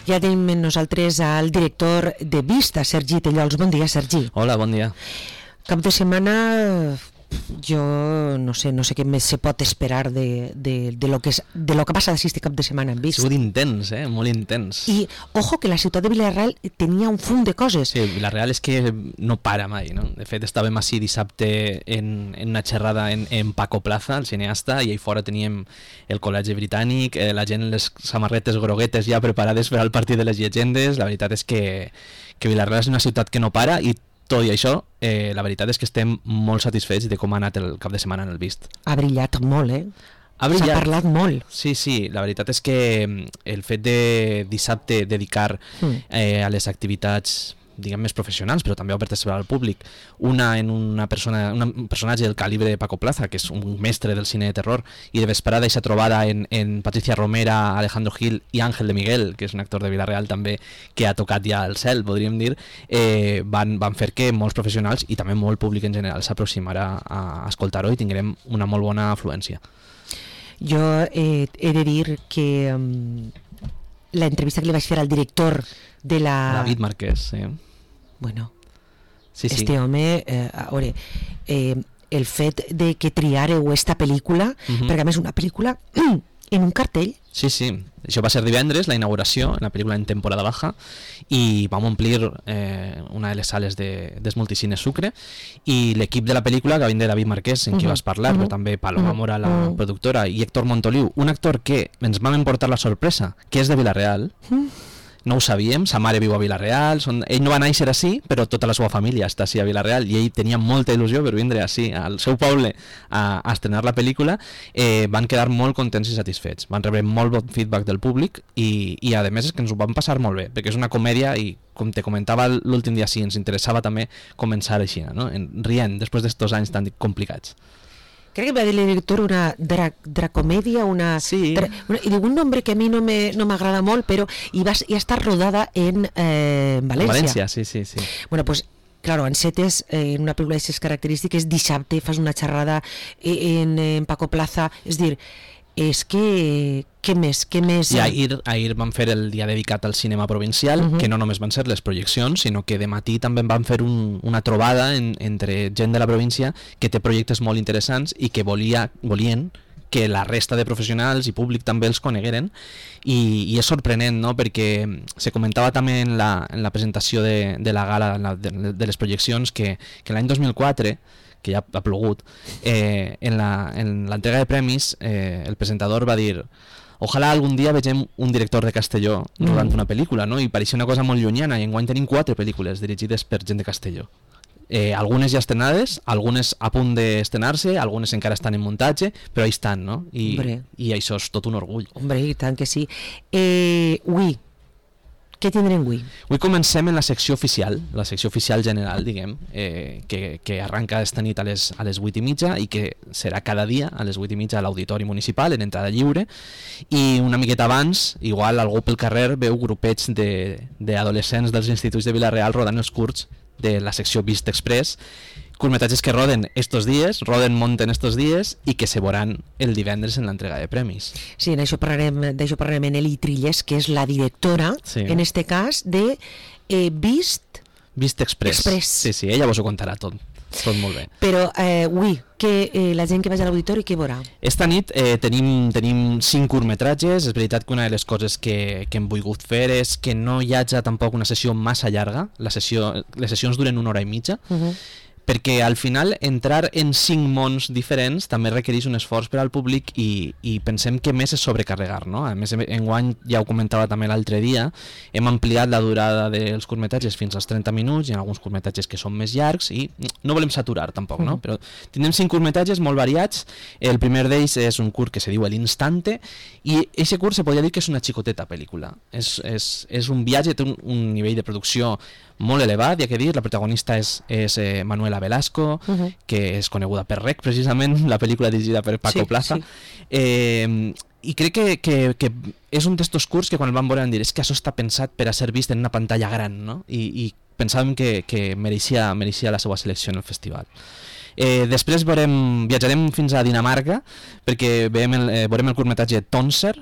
Ja tenim amb nosaltres al director de Vista, Sergi Tellols. Bon dia, Sergi. Hola, bon dia. Cap de setmana, jo no sé què més se pot esperar de lo que passa d'aquest cap de setmana en Vist. Ha sigut intens, molt intens. I, ojo, que la ciutat de Vila-real tenia un fum de coses. Sí, Vila-real és que no para mai, no? De fet, estàvem així dissabte en una xerrada en Paco Plaza, el cineasta, i ahí fora teníem el Col·legi Britànic, la gent les samarretes groguetes ja preparades per al partit de les llegendes. La veritat és que Vila-real és una ciutat que no para, i tot i això, la veritat és que estem molt satisfets de com ha anat el cap de setmana en el Vist. Ha brillat molt, Ha brillat. S'ha parlat molt. Sí, la veritat és que el fet de dissabte dedicar a les activitats, diguem, més professionals, però també obertes per al públic, una en un personatge del calibre de Paco Plaza, que és un mestre del cine de terror, i de vesprada aquesta trobada en Patricia Romera, Alejandro Gil i Ángel de Miguel, que és un actor de Vila-real també, que ha tocat ja el cel, podríem dir, van fer que molts professionals i també molt públic en general s'aproximara a escoltar-ho i tindrem una molt bona afluència. Jo he de dir que l'entrevista que li vaig fer al director de la... David Marquès, sí. Bueno, sí. Este home, a veure, el fet de que triareu esta pel·lícula, perquè a més una pel·lícula en un cartell. Sí, això va ser divendres, la inauguració, la pel·lícula en temporada baja, i vam omplir una de les sales dels multicines Sucre, i l'equip de la pel·lícula, que vindrà David Marquès, en qui vas parlar, però també Paloma Mora, la productora, i Héctor Montoliu, un actor que ens vam emportar la sorpresa, que és de Vila-real. No ho sabíem, sa mare viu a Vila-real, ell no va néixer així, però tota la seva família està així a Vila-real, i ell tenia molta il·lusió per vindre així, al seu poble, a estrenar la pel·lícula. Van quedar molt contents i satisfets, van rebre molt bon feedback del públic, i a més és que ens ho vam passar molt bé, perquè és una comèdia, i com te comentava l'últim dia, sí, ens interessava també començar així, no? Rient, després d'estos anys tan complicats. Crec que va dir el director una dracomèdia, Sí. I diu un nombre que a mi no m'agrada molt, però i està rodada en València. València, sí. Bueno, pues claro, encetes en una pel·lícula d'aquestes característiques, dissabte fas una xerrada en Paco Plaza, és dir, és que què més? I ahir vam fer el dia dedicat al cinema provincial, que no només van ser les projeccions, sinó que de matí també vam fer una trobada entre gent de la província que té projectes molt interessants i que volien que la resta de professionals i públic també els conegueren, i és sorprenent, no? Perquè se comentava també en la presentació de la gala de les projeccions que l'any 2004, que ja ha plogut, en l'entrega de premis el presentador va dir: ojalà algun dia vegem un director de Castelló rodant una pel·lícula, no? I pareixia una cosa molt llunyana, i enguany tenim 4 pel·lícules dirigides per gent de Castelló. Algunes ja estrenades, algunes a punt d'estrenar-se, algunes encara estan en muntatge, però ahí estan, no? I això és tot un orgull. Hombre, i tant que sí. Ui, què tindrem avui? Avui comencem en la secció oficial general, diguem, que arranca esta nit a les 8:30 i que serà cada dia a les 8:30 a l'Auditori Municipal, en entrada lliure, i una miqueta abans, igual algú pel carrer veu grupets d'adolescents dels instituts de Vila-real rodant els curts de la secció Vist Express, curtmetratges que roden munten estos dies i que se veuran el divendres en l'entrega de premis. Sí, d'això parlarem en Eli Trilles, que és la directora, en este cas, de Vist Express. Sí, ella vos ho contarà tot molt bé. Però, que la gent que vagi a l'auditori, què veurà? Esta nit tenim 5 curtmetratges. És veritat que una de les coses que hem volgut fer és que no hi hagi tampoc una sessió massa llarga. Les sessions duren 1 hora i mitja, perquè al final entrar en 5 mons diferents també requereix un esforç per al públic, i pensem que més és sobrecarregar, no? A més, enguany, ja ho comentava també l'altre dia, hem ampliat la durada dels curtmetratges fins als 30 minuts, hi ha alguns curtmetratges que són més llargs i no volem saturar tampoc, no? Però tindrem 5 curtmetratges molt variats. El primer d'ells és un curt que se diu L'Instante, i aquest curt se podria dir que és una xicoteta pel·lícula. És un viatge, té un nivell de producció molt elevat, hi ha que dir. La protagonista és Manuela Velasco, que és coneguda per Rec, precisament, la pel·lícula dirigida per Paco Plaza. I crec que és un d'estos curts que quan el vam veure vam dir, és que això està pensat per a ser vist en una pantalla gran, no? I pensàvem que mereixia la seva selecció en el festival. Després viatjarem fins a Dinamarca, perquè veurem el curtmetratge Tonser,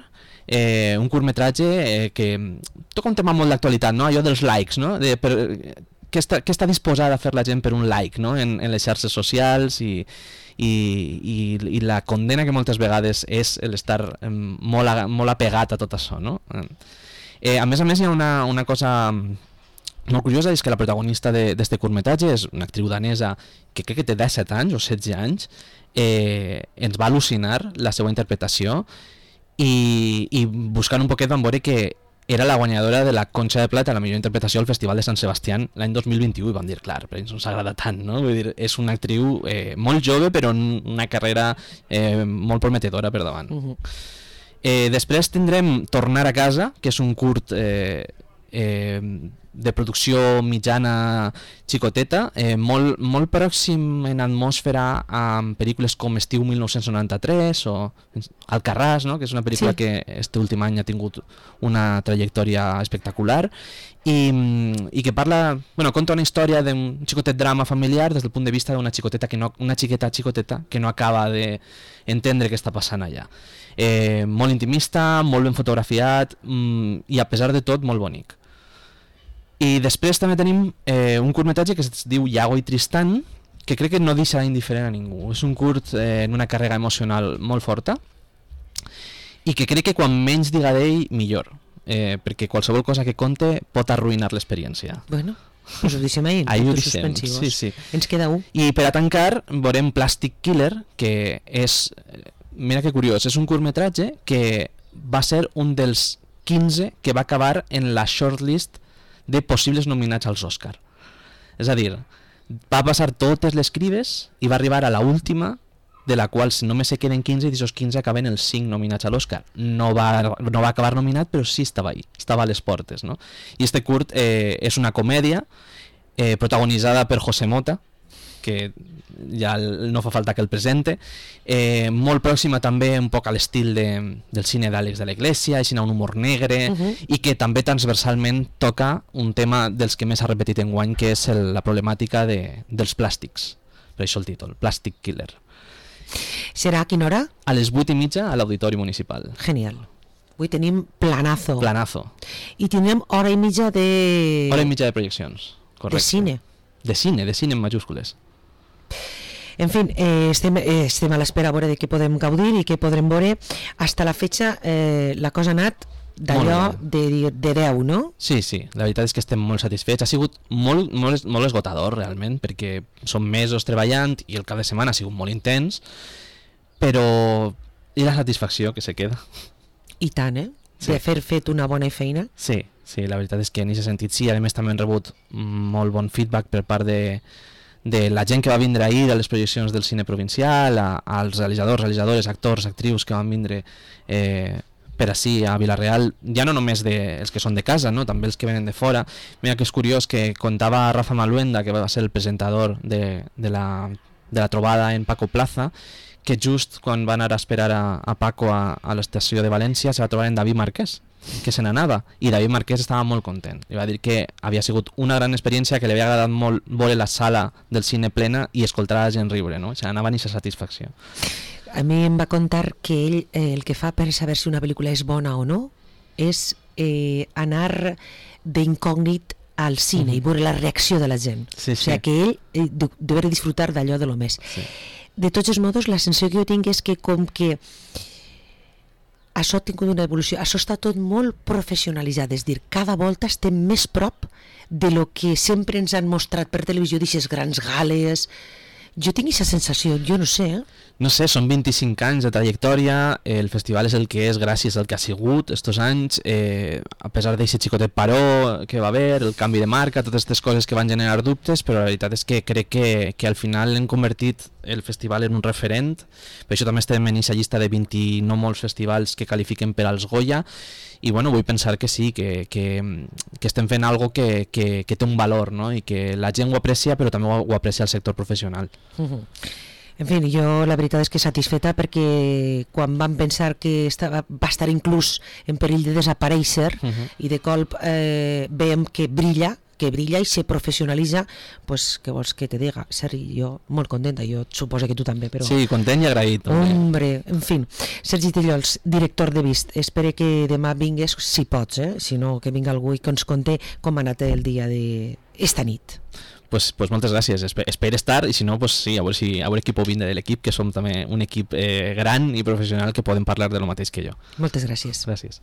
un curtmetratge que toca un tema molt d'actualitat, no? Allò dels likes, no? Què està disposada a fer la gent per un like, no? En les xarxes socials i la condena que moltes vegades és l'estar molt apegat a tot això, no? A més, hi ha una cosa molt curiosa, és que la protagonista d'este curtmetratge és una actriu danesa que crec que té 17 anys o 16 anys. Ens va al·lucinar la seva interpretació i buscant un poquet vam veure que era la guanyadora de la Conxa de Plata, la millor interpretació al Festival de Sant Sebastián l'any 2021, i vam dir, clar, però ens no s'agrada tant, no? Vull dir, és una actriu molt jove però una carrera molt prometedora per davant. Després tindrem Tornar a casa, que és un curt de producció mitjana xicoteta, molt pròxim en atmosfera amb pel·lícules com Estiu 1993 o Alcarràs, no? Que és una pel·lícula que este últim any ha tingut una trajectòria espectacular i que conta una història d'un xicotet drama familiar des del punt de vista d'una xiqueta que no acaba d'entendre què està passant allà. Molt intimista, molt ben fotografiat i a pesar de tot molt bonic. I després també tenim un curtmetratge que es diu Iago i Tristan, que crec que no deixarà indiferent a ningú. És un curt en una càrrega emocional molt forta i que crec que quan menys diga d'ell, millor, perquè qualsevol cosa que conte pot arruïnar l'experiència. Bueno, us ho deixem ahir, ho deixem, sí. Ens queda un. I per a tancar veurem Plastic Killer, que és, mira que curiós, és un curtmetratge que va ser un dels 15 que va acabar en la shortlist de possibles nominats als Òscar. És a dir, va passar totes les crides i va arribar a la última, de la qual si només se queden 15 i d'aquests 15 acaben els 5 nominats a l'Òscar. No va acabar nominat, però sí estava ahí, estava a les portes, no? I este curt és una comèdia protagonitzada per José Mota, que ja no fa falta que el presente, molt pròxima també un poc a l'estil del cine d'Àlex de la Iglesia, així un humor negre, i que també transversalment toca un tema dels que més ha repetit enguany, que és la problemàtica dels plàstics. Per això el títol, Plastic Killer. Serà a quina hora? A les 8:30 a l'Auditori Municipal. Genial. Avui tenim planazo. I tindrem hora i mitja de... Hora i mitja de projeccions, correcte. De cine. De cine en majúscules. En fi, estem a l'espera a veure de què podem gaudir i què podrem veure. Hasta la fetxa la cosa ha anat d'allò de 10, no? Sí, la veritat és que estem molt satisfets. Ha sigut molt esgotador realment, perquè són mesos treballant i el cap de setmana ha sigut molt intens, però i la satisfacció que se queda. I tant, de fer fet una bona feina. Sí, la veritat és que en aquest sentit sí. A més també hem rebut molt bon feedback per part de la gent que va vindre ahir a les projeccions del cine provincial, als realitzadores, actors, actrius que van vindre per ací a Vila-real, ja no només els que són de casa, no? També els que venen de fora. Mira que és curiós que contava Rafa Maluenda, que va ser el presentador de la trobada en Paco Plaza, que just quan va anar a esperar a Paco a l'estació de València se va trobar en David Marquès, que se n'anava, i David Marquès estava molt content. Li va dir que havia sigut una gran experiència, que li havia agradat molt veure la sala del cine plena i escoltar a la gent riure, no? Se n'anava en aquesta satisfacció. A mi em va contar que ell el que fa per saber si una pel·lícula és bona o no és anar d'incògnit al cine i veure la reacció de la gent. O sigui que ell deu disfrutar d'allò de lo més. De tots els modos, la sensació que jo tinc és que com que això ha tingut una evolució, això està tot molt professionalitzat, és a dir, cada volta estem més prop de lo que sempre ens han mostrat per televisió, d'aquestes grans gales. Jo tinc aquesta sensació, jo no sé. No sé, són 25 anys de trajectòria, el festival és el que és gràcies al que ha sigut estos anys, a pesar d'aquest xicotet paró que va haver, el canvi de marca, totes aquestes coses que van generar dubtes, però la veritat és que crec que al final hem convertit el festival en un referent. Per això també estem en aquesta llista de 20 no molts festivals que qualifiquen per als Goya, i bueno, vull pensar que sí, que estem fent algo que té un valor, no? I que la gent ho aprecia, però també ho aprecia el sector professional. En fi, jo la veritat és que satisfeta, perquè quan vam pensar que va estar inclús en perill de desaparèixer i de colp veiem que brilla que brilla i se professionalitza, pues, què vols que te diga? Sergi, jo molt contenta, jo suposo que tu també, però... Sí, content i agraït. Hombre, en fin. Sergi Tellols, director de Vist, espero que demà vingues, si pots, si no, que vinga algú i que ens conté com ha anat el dia d'esta nit. Pues moltes gràcies, espero estar, i si no, pues sí, a veure qui pot vindre de l'equip, que som també un equip gran i professional que poden parlar de lo mateix que jo. Moltes gràcies. Gràcies.